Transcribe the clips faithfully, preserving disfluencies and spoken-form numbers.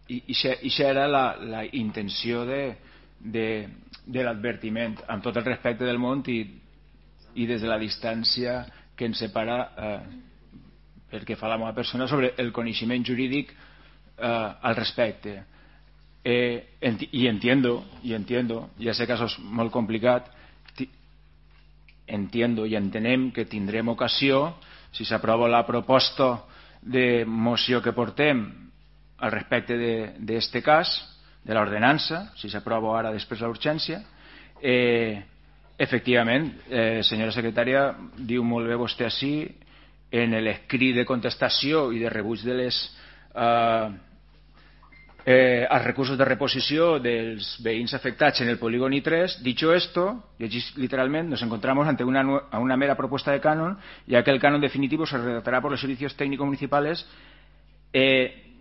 i això era la, la intenció de, de, de l'advertiment, amb tot el respecte del món i, i des de la distància que ens separa eh, pel que fa a la meva persona sobre el coneixement jurídic eh, al respecte. Eh, enti y entiendo, y entiendo, ja sé que això és molt complicat, entiendo i entenem que tindrem ocasió, si s'aprova la proposta de moció que portem al respecte d'aquest cas, de l'ordenança, si s'aprova ara després de l'urgència, eh, efectivament, eh, senyora secretària, diu molt bé vostè així, en l'escrit de contestació i de rebuig de les eh, Eh, als recursos de reposició dels veïns afectats en el polígon I tres, dicho esto, llegís literalmente, nos encontramos ante una, a una mera propuesta de canon, ya que el canon definitivo se redactará por los servicios técnicos municipales. Eh,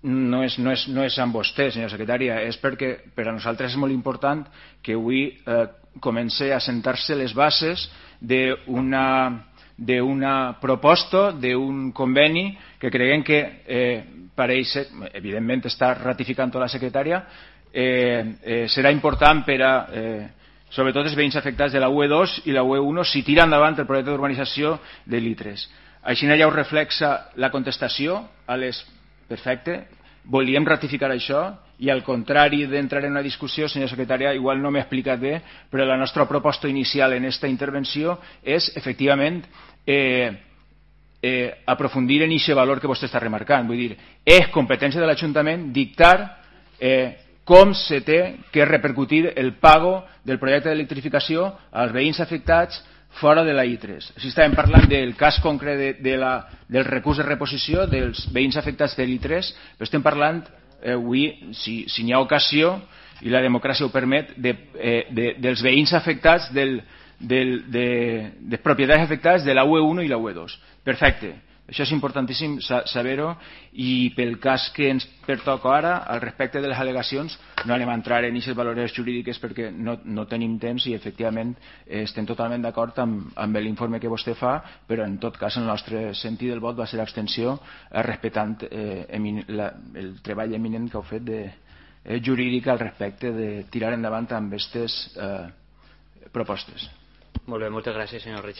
no és, no, és, no és amb vostè, senyora secretària, és perquè per a nosaltres és molt important que avui eh, comenci a sentar-se les bases d'una d'una proposta, d'un conveni que creguem que eh, pareix, evidentment està ratificant tota la secretària, eh, eh, serà important per a eh, sobretot els veïns afectats de la U E dos i la U E un si tira endavant el projecte d'urbanització de l'I tres. Així ja ho reflexa la contestació a les... Perfecte, volíem ratificar això i al contrari d'entrar en una discussió, senyora secretària, igual no m'he explicat bé, però la nostra proposta inicial en aquesta intervenció és efectivament eh, eh, aprofundir en aquest valor que vostè està remarcant. Vull dir, és competència de l'Ajuntament dictar eh, com se té que repercutir el pago del projecte d'electrificació als veïns afectats fora de la I tres. Si estàvem parlant del cas concret de, de la, del recurs de reposició dels veïns afectats de l'I tres, però estem parlant eh, avui, si, si n'hi ha ocasió i la democràcia ho permet, de, eh, de, dels veïns afectats, del, del, de, de propietats afectades de la U E un i la U E dos. Perfecte. Això és importantíssim saber-ho i pel cas que ens pertoca ara, al respecte de les al·legacions, no anem a entrar en aquestes valores jurídiques perquè no, no tenim temps i efectivament eh, estem totalment d'acord amb, amb l'informe que vostè fa, però en tot cas el nostre sentit del vot va ser l'abstenció eh, respectant eh, la, el treball eminent que heu fet de, eh, jurídic al respecte de tirar endavant amb aquestes eh, propostes. Molt bé, moltes gràcies, senyor Regidor.